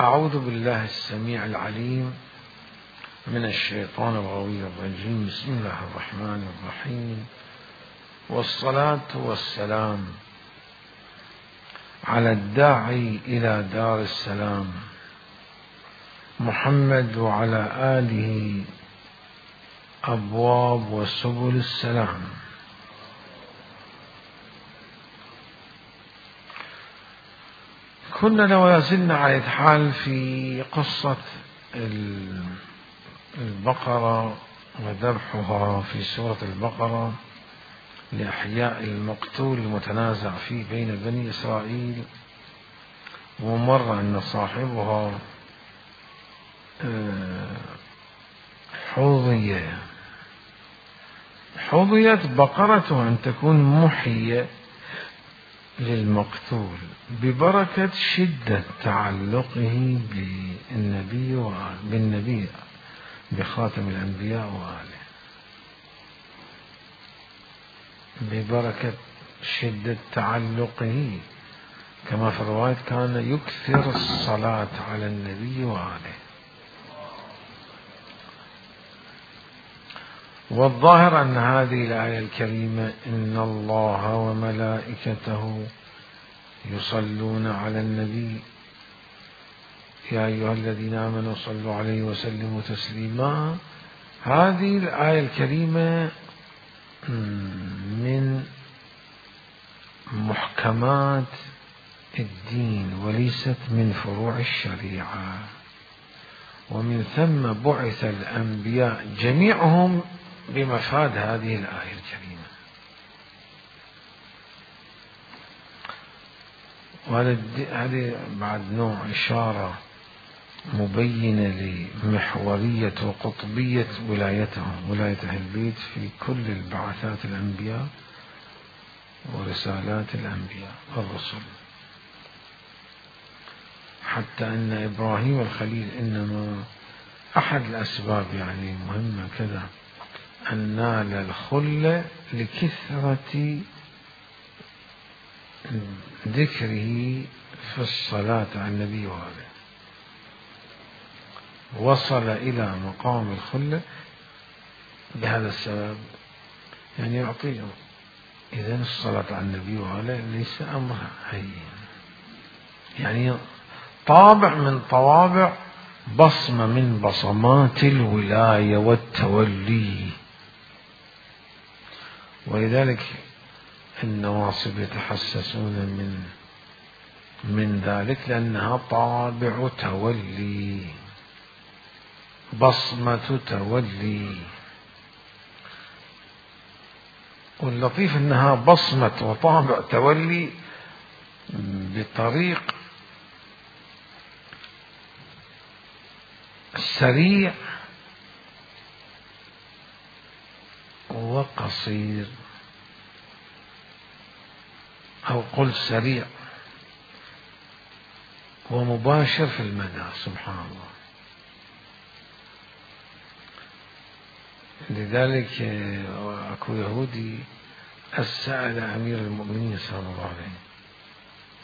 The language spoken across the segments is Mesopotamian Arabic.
أعوذ بالله السميع العليم من الشيطان الغوي الرجيم. بسم الله الرحمن الرحيم، والصلاة والسلام على الداعي إلى دار السلام محمد وعلى آله أبواب وسبل السلام. كنا لو يزلنا على الحال في قصة البقرة وذبحها في سورة البقرة لإحياء المقتول المتنازع فيه بين بني إسرائيل، ومر أن صاحبها حظيت بقرة أن تكون محية للمقتول ببركة شدة تعلقه بالنبي بخاتم الأنبياء وآله، ببركة شدة تعلقه، كما في الرواية كان يكثر الصلاة على النبي وآله. والظاهر أن هذه الآية الكريمة إن الله وملائكته يصلون على النبي يا أيها الذين آمنوا صلوا عليه وسلموا تسليما، هذه الآية الكريمة من محكمات الدين وليست من فروع الشريعة، ومن ثم بعث الأنبياء جميعهم بمفاد هذه الآية الكريمة. وهذه بعد نوع إشارة مبينة لمحورية وقطبية ولايتهم، ولاية أهل البيت في كل البعثات الأنبياء ورسالات الأنبياء والرسل، حتى أن إبراهيم الخليل إنما أحد الأسباب يعني مهمة كذا أن نال الخلة لكثرة ذكره في الصلاة على النبي وآله، وصل إلى مقام الخلة بهذا السبب، يعني يعطيه إذن الصلاة على النبي وآله ليس أمر هين، يعني طابع من طوابع، بصمة من بصمات الولاية والتولي. ولذلك النواصب يتحسسون من ذلك، لأنها طابع تولي، بصمة تولي. واللطيف أنها بصمة وطابع تولي بطريق سريع وقصير، أو قل سريع ومباشر في المدى، سبحان الله. لذلك أكو يهودي سأل أمير المؤمنين صلى الله عليه وسلم،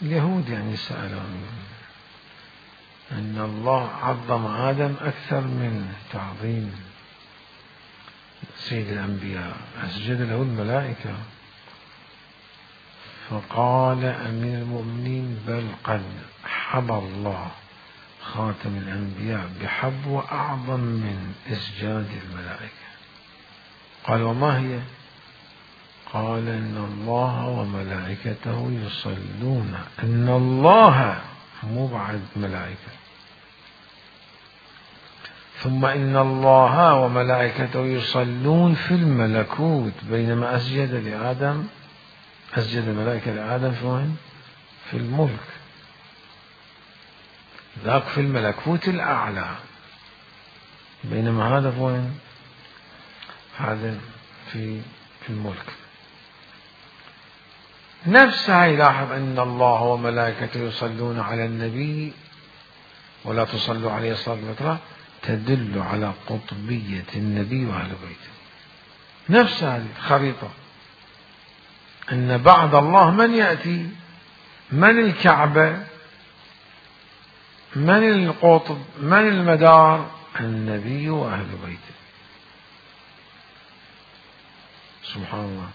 اليهود يعني سأل أن الله عظم آدم أكثر من تعظيم سيد الأنبياء، أسجد له الملائكة، فقال أمير المؤمنين بل قد حبى الله خاتم الأنبياء بحبوة أعظم من إسجاد الملائكة. قال وما هي؟ قال إن الله وملائكته يصلون، إن الله مو بعد ملائكة، ثم إن الله وملائكته يصلون في الملكوت، بينما أسجد الملائكة لآدم في وين؟ في الملك، ذاك في الملكوت الأعلى، بينما هذا في وين؟ هذا في الملك. نفسها يلاحظ أن الله وملائكته يصلون على النبي ولا تصلوا عليه صلاة الوتر، تدل على قطبية النبي وأهل بيته. نفس هذه الخريطة، أن بعد الله من يأتي؟ من الكعبة؟ من القطب؟ من المدار؟ النبي وأهل بيته. سبحان الله.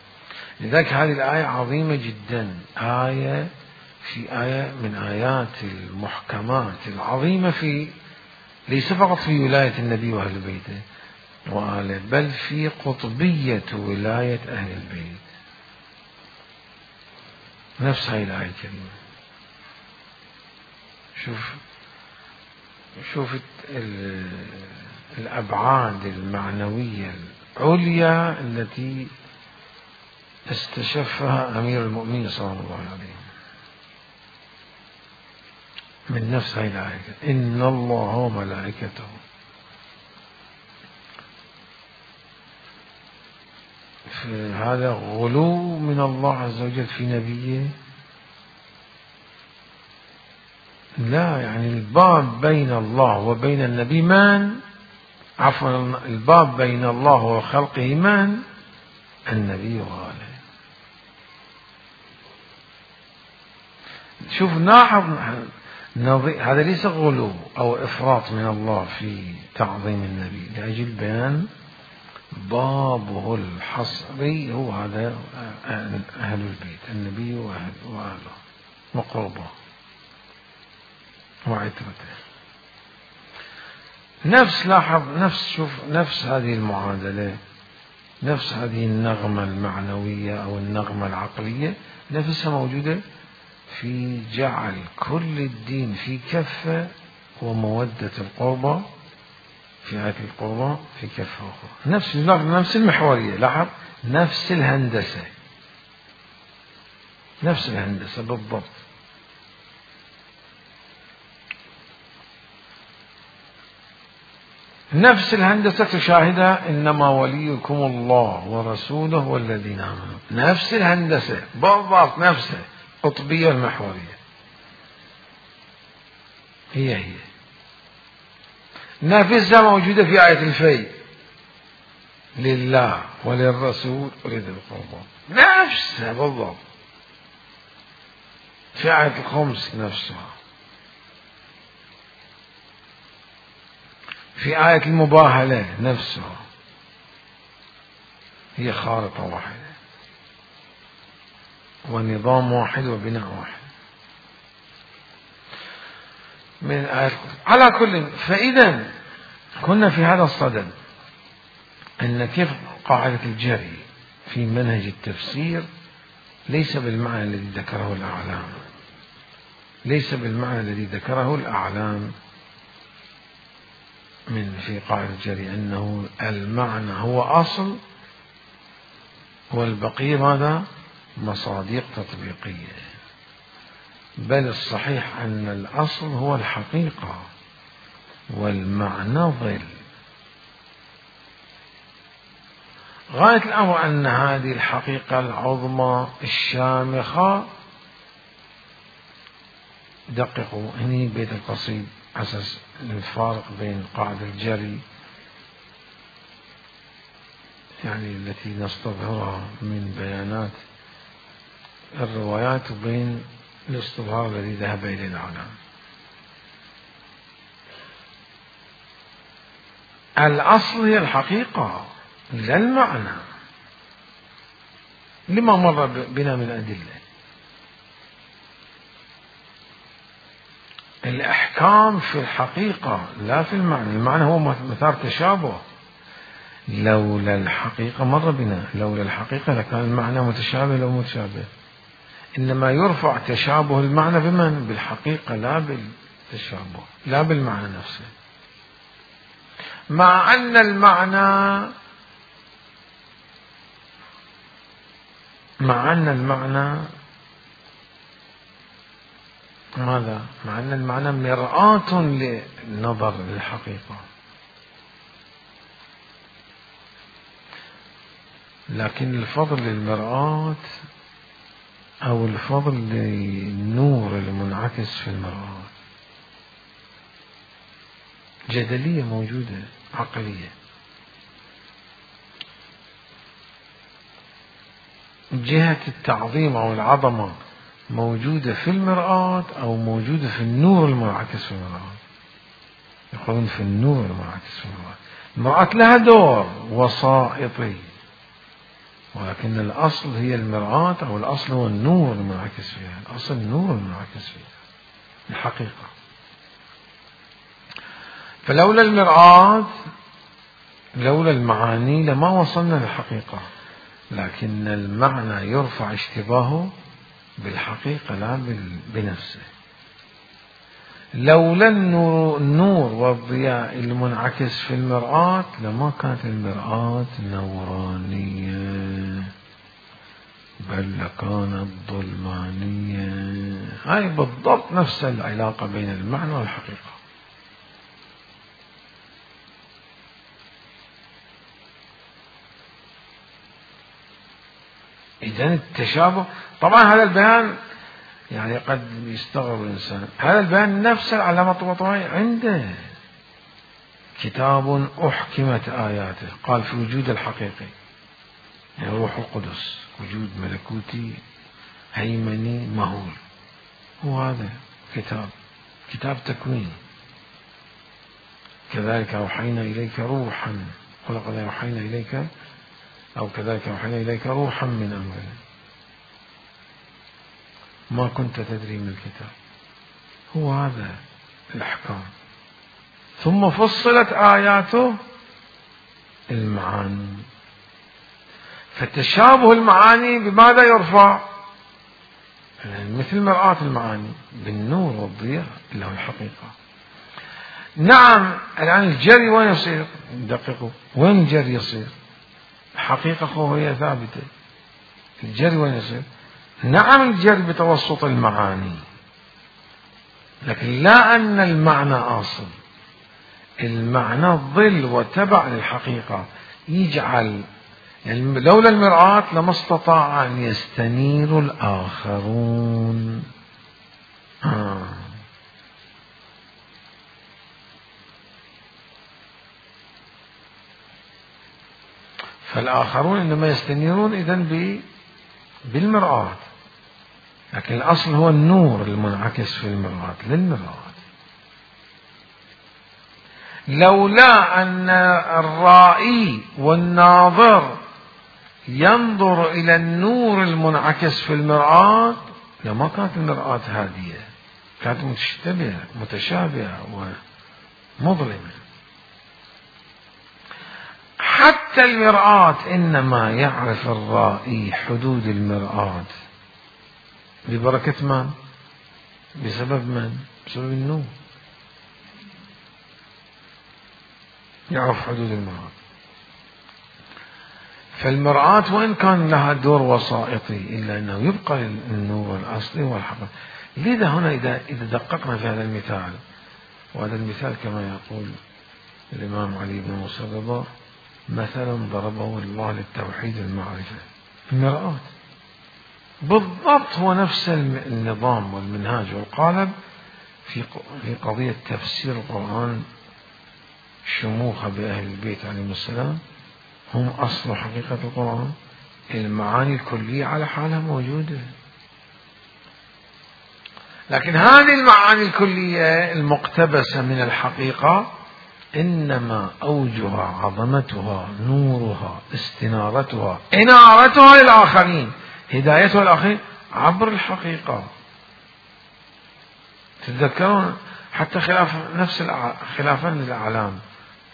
لذلك هذه الآية عظيمة جدا، آية من آيات المحكمات العظيمة ليس فقط في ولاية النبي وأهل بيته وآله، بل في قطبية ولاية أهل البيت. نفس هاي الآية الكريمة. شوف الأبعاد المعنوية العليا التي استشفها أمير المؤمنين صلى الله عليه وسلم من نفس هاي الآية: إن الله وملائكته. هذا غلو من الله عز وجل في نبيه؟ لا، يعني الباب بين الله وبين النبي الباب بين الله وخلقه النبي وآله. شوف لاحظ، هذا ليس غلو أو إفراط من الله في تعظيم النبي، لأجل بيان بابه الحصري هو هذا أهل البيت، النبي وأهله وقربه وعترته. نفس هذه المعادلة، نفس هذه النغمة المعنوية أو النغمة العقلية نفسها موجودة في جعل كل الدين في كفة ومودة القربى في آية القربى في كفة أخرى. نفس المحورية. لاحظ، نفس الهندسة بالضبط. نفس الهندسة تشاهدها: إنما وليكم الله ورسوله والذين آمنوا. نفس الهندسة بالضبط، نفسها قطبية المحورية، هي نفسها موجودة في آية الفيء: لله وللرسول ولذي القربى. نفسها بالضبط. في آية الخمس نفسها. في آية المباهلة نفسها. هي خارطة واحدة ونظام واحد وبناء واحد من آية. على كل، فإذا كنا في هذا الصدد أن كيف قاعدة الجري في منهج التفسير ليس بالمعنى الذي ذكره الأعلام، من في قاعدة الجري أنه المعنى هو أصل والبقية ماذا؟ مصادق تطبيقية. بل الصحيح أن الأصل هو الحقيقة والمعنى ظل. غاية الأمر أن هذه الحقيقة العظمى الشامخة، دققوا هني بيت القصيد أساس الفارق بين قاعدة الجري يعني التي نستظهرها من بيانات الروايات وبين الاستظهار الذي ذهب إليه العالم. الأصل هي الحقيقة لا المعنى، لما مر بنا من أدلة. الأحكام في الحقيقة لا في المعنى. المعنى هو مثار تشابه. لولا الحقيقة مر بنا، لولا الحقيقة لكان المعنى متشابه لو متشابه. إنما يرفع تشابه المعنى بمن؟ بالحقيقة، لا بالتشابه، لا بالمعنى نفسه. مع أن المعنى ماذا؟ مع أن المعنى مرآة للنظر للحقيقة، لكن الفضل للمرآة أو الفضل للنور المنعكس في المرآة جدلية موجودة عقلية. جهة التعظيم أو العظمة موجودة في المرآة أو موجودة في النور المنعكس في المرآة. يقولون في النور المنعكس في المرآة. المرآة لها دور وسائطي، ولكن الأصل هي المرآة، أو الأصل هو النور المنعكس فيها. الأصل النور المنعكس فيها الحقيقة. فلولا المرآة، لولا المعاني، لما وصلنا للحقيقة. لكن المعنى يرفع اشتباهه بالحقيقة لا بنفسه. لولا النور والضياء المنعكس في المرآة لما كانت المرآة نورانية، بل لكانت ظلمانية. هاي بالضبط نفس العلاقة بين المعنى والحقيقة. إذن التشابه، طبعا هذا البيان يعني قد يستغرب الإنسان، هذا البيان نفس العلامة الطباطبائي عنده كتاب أحكمت آياته، قال في وجود الحقيقي يعني روح القدس، وجود ملكوتي هيمني مهول، هو هذا كتاب تكوين. كذلك أوحينا إليك روحا، ولقد أوحينا إليك، أو كذلك أوحينا إليك روحا من أمرنا ما كنت تدري من الكتاب. هو هذا الأحكام. ثم فصلت آياته المعاني. فتشابه المعاني بماذا يرفع؟ يعني مثل مرآة المعاني بالنور والضياء اللي هو الحقيقة. نعم الآن الجري وين يصير؟ دققوا، وين الجري يصير؟ الحقيقة هي ثابتة. الجري وين يصير؟ نعم الجري بتوسط المعاني، لكن لا أن المعنى أصل. المعنى ظل وتبع للحقيقة، يجعل يعني لولا المرآة لما استطاع أن يستنير الآخرون. فالآخرون إنما يستنيرون إذن بالمرآة، لكن الأصل هو النور المنعكس في المرآة للمرآة. لولا أن الرائي والناظر ينظر إلى النور المنعكس في المرآة لما كانت المرآة هادية، كانت متشابهة ومظلمة. حتى المرآة إنما يعرف الرائي حدود المرآة ببركة من؟ بسبب من؟ بسبب النور. يعرف حدود المرآة. فالمرآة وإن كان لها دور وسائطي إلا أنه يبقى النور الأصلي والحقيقي. لذا هنا إذا دققنا في هذا المثال، وهذا المثال كما يقول الإمام علي بن موسى الرضا مثلا ضربه الله للتوحيد المعرفة. المرآة بالضبط هو نفس النظام والمنهاج والقالب في قضية تفسير القرآن. شموخ بأهل البيت عليهم السلام هم أصل حقيقة القرآن. المعاني الكلية على حالها موجودة، لكن هذه المعاني الكلية المقتبسة من الحقيقة إنما أوجها عظمتها نورها استنارتها إنارتها للآخرين، هدايتها للآخرين عبر الحقيقة. تتذكرون حتى خلافا للأعلام،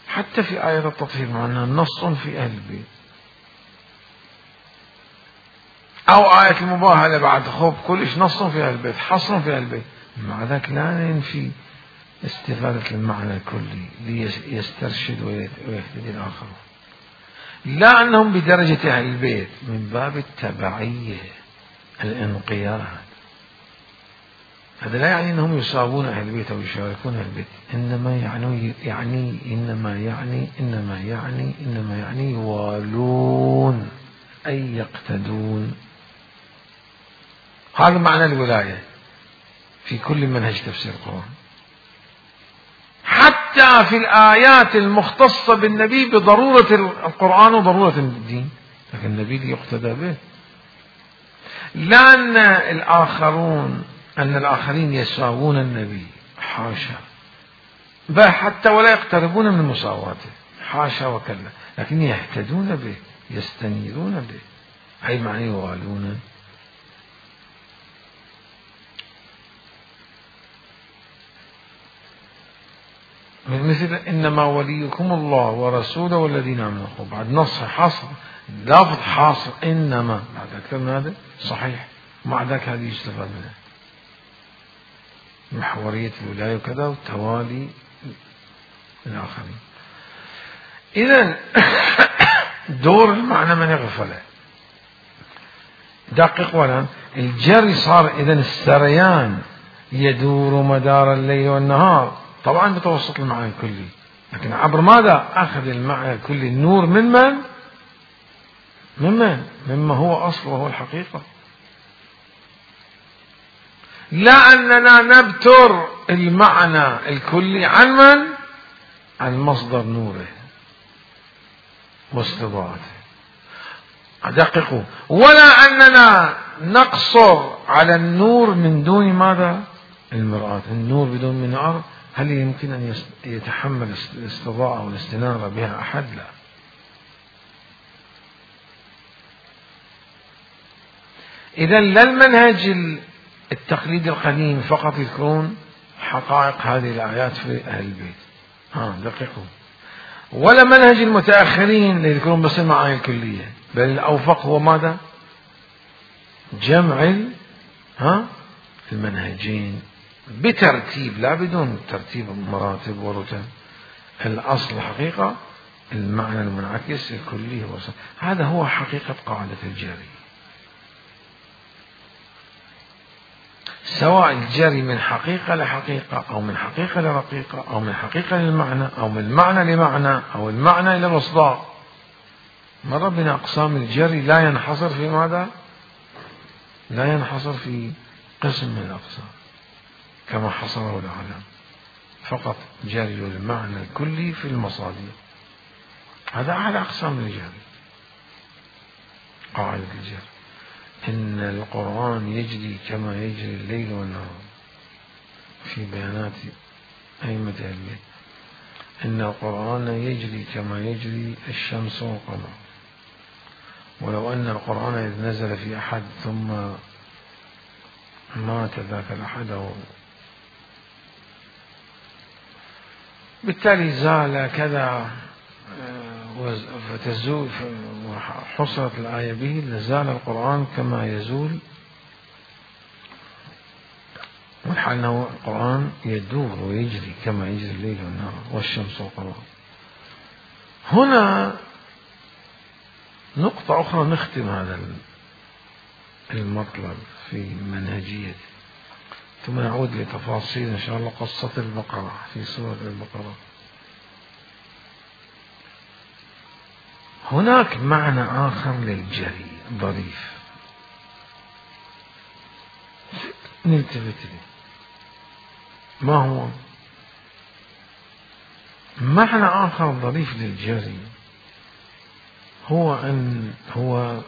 حتى في آية التطهير مع أنها نص في أهل البيت، أو آية المباهلة بعد خوف كلش نص في أهل البيت، حصر في أهل البيت، مع ذلك لا ينفي استفادة المعنى الكلي ليسترشد ويهتدي الآخرون. لا أنهم بدرجة أهل البيت من باب التبعية الانقياد. هذا لا يعني أنهم يساوون أهل البيت أو يشاركون أهل البيت، إنما يعني يوالون أي يقتدون. هذا معنى الولاية في كل منهج تفسير القرآن، حتى في الآيات المختصة بالنبي بضرورة القرآن وضرورة الدين، لكن النبي يقتدى به. لا أن الآخرين يساوون النبي، حاشا، بل حتى ولا يقتربون من مساواته، حاشا وكلا، لكن يهتدون به، يستنيرون به، أي معنى يوالون. مثل إنما وليكم الله ورسوله والذين آمنوا، بعد نص حصر، لفظ حاصر، إنما بعد أكثر من هذا صحيح، مع ذلك هذه يستفاد منها محورية الولاية وكذا والتوالي الآخرين. إذن دور المعنى من يغفله. دقق ولا الجري صار إذن السريان يدور مدار الليل والنهار، طبعا بتوسط المعنى الكلي، لكن عبر ماذا؟ أخذ المعنى الكلي النور مما هو أصل وهو الحقيقة. لا أننا نبتر المعنى الكلي عن من؟ عن مصدر نوره واستضاءته. دققوا، ولا أننا نقصر على النور من دون ماذا؟ المرآة. النور بدون منار هل يمكن أن يتحمل الاستضاءة والاستنارة بها أحد؟ لا. إذن لا المنهج التقليد القديم فقط يذكرون حقائق هذه الآيات في أهل البيت، دقيقوا، ولا منهج المتأخرين يذكرون بس المعاني الكلية، بل الأوفق هو ماذا؟ جمع المنهجين بترتيب، لا بدون ترتيب مراتب ورتب. الأصل الحقيقة المعنى المنعكس الكلي هو هذا هو حقيقة قاعدة الجري، سواء الجري من حقيقة لحقيقة أو من حقيقة لرقيقة أو من حقيقة للمعنى أو من معنى لمعنى أو المعنى إلى الإصدار. مر بنا أقسام الجري لا ينحصر في ماذا؟ لا ينحصر في قسم من الأقسام كما حصره العالم، فقط جري المعنى الكلي في المصادر. هذا أعلى أقسام الجري، قاعدة الجري. إن القرآن يجري كما يجري الليل والنهار في بيانات أئمة أهل البيت. إن القرآن يجري كما يجري الشمس والقمر. ولو أن القرآن إذ نزل في أحد ثم مات ذاك الأحد بالتالي زال كذا فتزول وحصلت الآية به لزال القرآن كما يزول، والحال أنه القرآن يدور ويجري كما يجري الليل والنهار والشمس والقمر. هنا نقطة أخرى نختم هذا المطلب في منهجية، ثم نعود لتفاصيل إن شاء الله قصة البقرة في سورة البقرة. هناك معنى آخر للجري ظريف نلتفت له، ما هو؟ معنى آخر ظريف للجري هو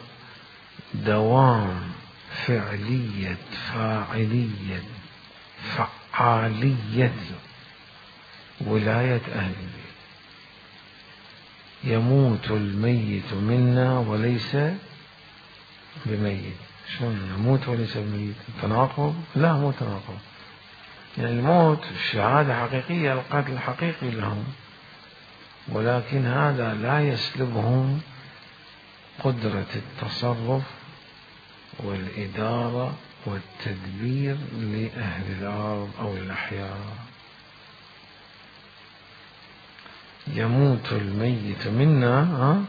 دوام فعلية فاعلية فعالية ولاية أهل البيت. يموت الميت منا وليس بميت. شلون يموت وليس بميت؟ تناقض؟ لا، مو تناقض. يعني الموت شهادة حقيقية، القتل حقيقي لهم، ولكن هذا لا يسلبهم قدرة التصرف والإدارة والتدبير لأهل الأرض أو الأحياء. يموت الميت منا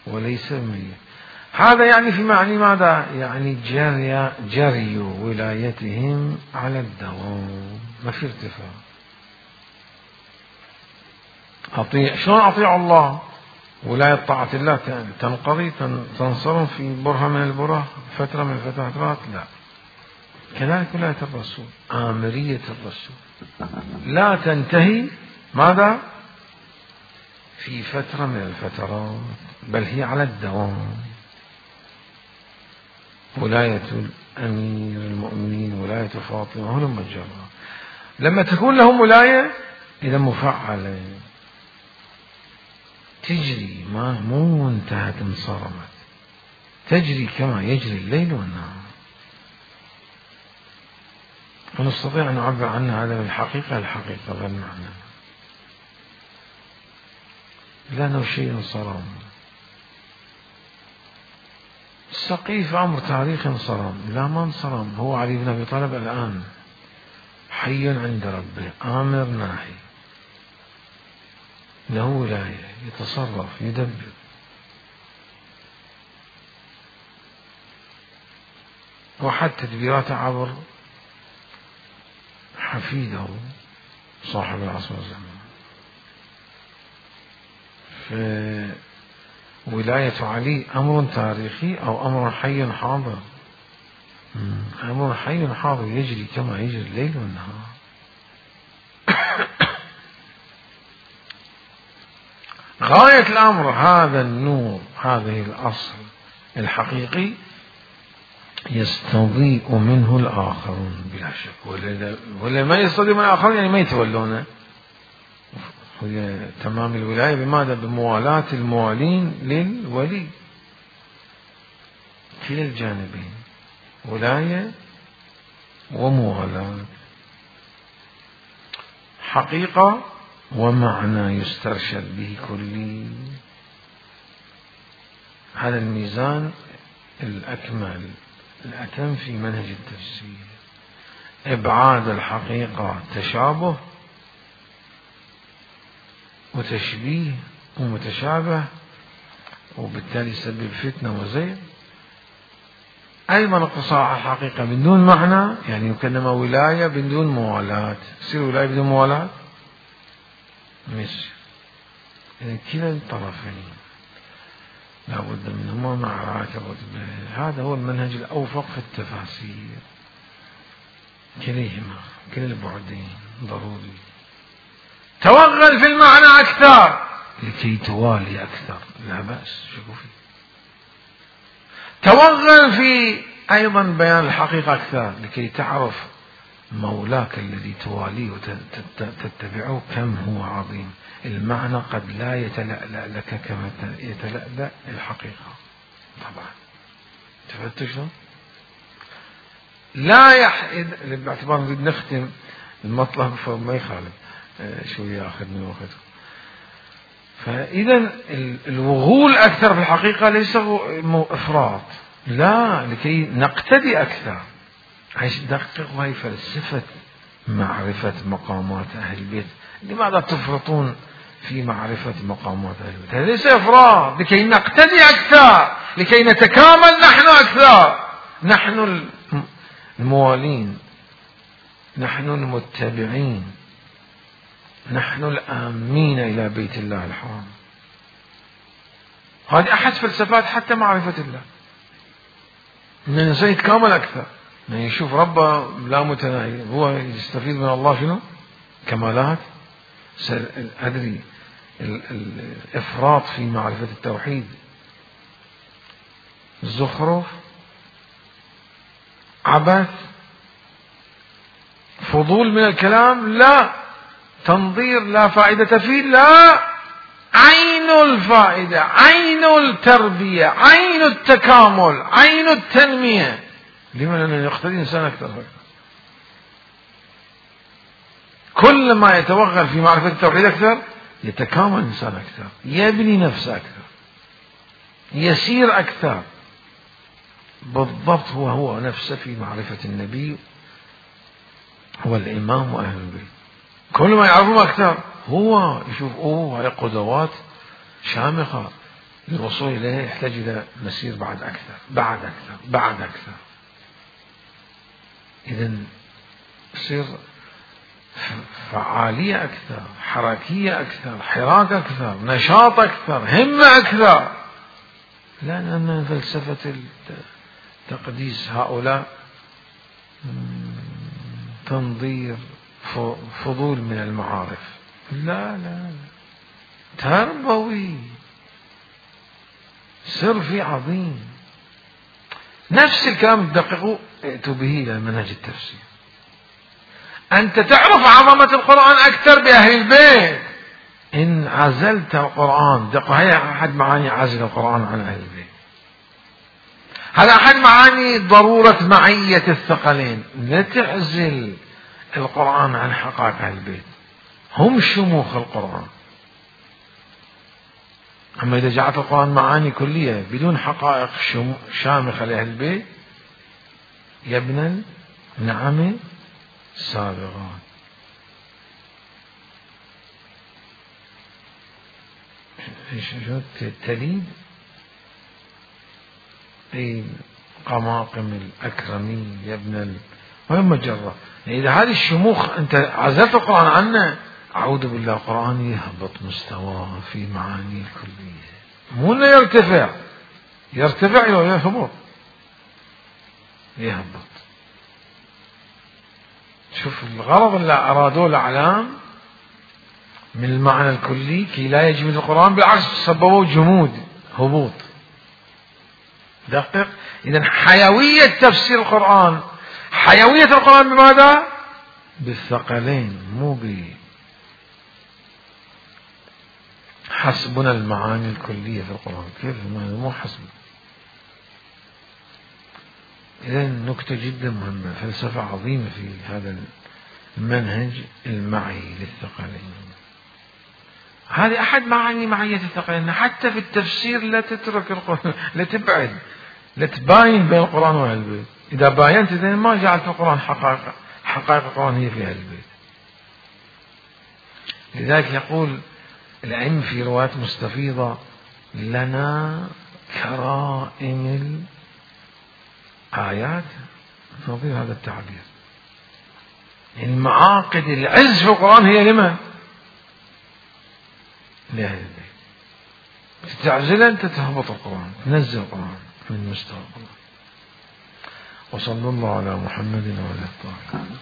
وليس ميت. هذا يعني في معنى ماذا؟ يعني جري ولايتهم على الدوام، ما في ارتفاع. شلون أطيع الله؟ ولاية طاعة الله تنقضي تنصرم في برهة من البره، فترة من الفترات؟ لا. كذلك ولاية الرسول، آمرية الرسول لا تنتهي ماذا؟ في فترة من الفترات، بل هي على الدوام. ولاية أمير المؤمنين، ولاية فاطمة، هلم الجرة. لما تكون لهم ولاية إذا مفعلة تجري، ما مو انتهت انصرمت، تجري كما يجري الليل والنهار. ونستطيع أن نعبر عنها هذا بالحقيقة، الحقيقة بالمعنى، لأنه شيء صرم. السقيف أمر تاريخي صرم، لا ما انصرم. هو علي بن أبي طالب الآن حي عند ربه، آمر ناهي، له ولاية، يتصرف، يدبر. وحد تدبيراته عبر حفيده صاحب العصر والزمان. فولاية علي أمر تاريخي أو أمر حي حاضر؟ أمر حي حاضر، يجري كما يجري الليل والنهار. غاية الأمر هذا النور، هذه الأصل الحقيقي يستضيء منه الآخرون بلا شك، ولا ما يستضيء من الآخرون يعني ما يتولونه. هي تمام الولاية بماذا؟ بموالاة الموالين للولي، كلا الجانبين، ولاية وموالاة، حقيقة ومعنى يسترشد به كلي. هذا الميزان الأكمل الأتم في منهج التفسير، إبعاد الحقيقة تشابه وتشبيه ومتشابه، وبالتالي يسبب فتنة وزيغ. أيضا اقتصار الحقيقة بدون معنى، يعني يكلم ولاية بدون موالاة، تصير ولاية بدون موالاة مش. يعني كلا الطرفين لا بد منهما مع رعاية الرتبة. هذا هو المنهج الأوفق في التفاسير، كليهما كلا البعدين ضروري. توغل في المعنى أكثر لكي توالي أكثر، لا بأس، شوفي. توغل في أيضا بيان الحقيقة أكثر لكي تعرف مولاك الذي تواليه وتتبعه كم هو عظيم. المعنى قد لا يتلألأ لك كما يتلألأ الحقيقة. طبعا تفتش لا باعتبار نريد نختم المطلب فما يخالف شوية ياخذ من وقتكم. فإذا الوغول أكثر في الحقيقة ليس إفراط، لا، لكي نقتدي أكثر. عايش دقق، وهي فلسفة معرفة مقامات أهل البيت. لماذا تفرطون في معرفة مقامات أهل البيت؟ هذا ليس إفراط، لكي نقتدي أكثر، لكي نتكامل نحن أكثر، نحن الموالين، نحن المتبعين، نحن الآمين إلى بيت الله الحرام. هذه أحد فلسفات حتى معرفة الله، أن الإنسان يتكامل أكثر، يعني يشوف ربه لا متناهي، هو يستفيد من الله شنو؟ كمالات. أدري الإفراط في معرفة التوحيد زخرف، عبث، فضول من الكلام، لا، تنظير لا فائدة فيه، لا، عين الفائدة، عين التربية، عين التكامل، عين التنمية. لما؟ لأنه يقتدي إنسان أكثر. كل ما يتوغل في معرفة التوحيد أكثر يتكامل إنسان أكثر، يبني نفسه أكثر، يسير أكثر. بالضبط هو نفسه في معرفة النبي هو الإمام وأهل البيت. كل ما يعرفون أكثر هو يشوف هاي قدوات شامخة للوصول إليها، يحتاج إلى مسير بعد أكثر، بعد أكثر، بعد أكثر. إذن يصير فعالية أكثر، حركية أكثر، حراك أكثر، نشاط أكثر، همة أكثر. لأن فلسفة التقديس هؤلاء تنظير، فضول من المعارف، لا لا، تربوي، سر في عظيم. نفس الكلام تدققوا ائتوا به إلى منهج التفسير. أنت تعرف عظمة القرآن أكثر بأهل البيت. إن عزلت القرآن، دقوا هي أحد معاني عزل القرآن عن أهل البيت. هذا أحد معاني ضرورة معية الثقلين. لا تعزل القرآن عن حقائق أهل البيت، هم شموخ القرآن. أما إذا جعلت القرآن معاني كلية بدون حقائق شامخة لأهل البيت، يبنى النعم سابغان. تليد أي قماقم الأكرمين يبنى وين مجرة. إذا هذه الشموخ أنت عزلت القرآن عنه، أعوذ بالله، القرآن يهبط مستواه في معاني الكلية، مو انه يرتفع يهبط، يهبط. شوف الغرض اللي أرادوه الأعلام من المعنى الكلي كي لا يجمد القرآن، بالعكس سببوا جمود، هبوط. دقق. إذن حيوية تفسير القرآن، حيوية القرآن بماذا؟ بالثقلين، مو حسبنا المعاني الكلية في القرآن. كيف مو حسبنا؟ إذن نكتة جدا مهمة، فلسفة عظيمة في هذا المنهج المعي للثقلين. هذه أحد معاني معية الثقلين. حتى في التفسير لا تترك القرآن، لا تبعد، لا تباين بين القرآن وأهل البيت. إذا باينت إذن ما جعلت القرآن حقائق القرآن هي في أهل البيت. لذلك يقول العلم في روايات مستفيضة: لنا كرائم الآيات، نظير هذا التعبير. المعاقد العز في القرآن هي لمن؟ لأهل البيت. تستعجل أنت تهبط القرآن، تنزل القرآن من مستوى القرآن. وصلى الله على محمد وعلى آله.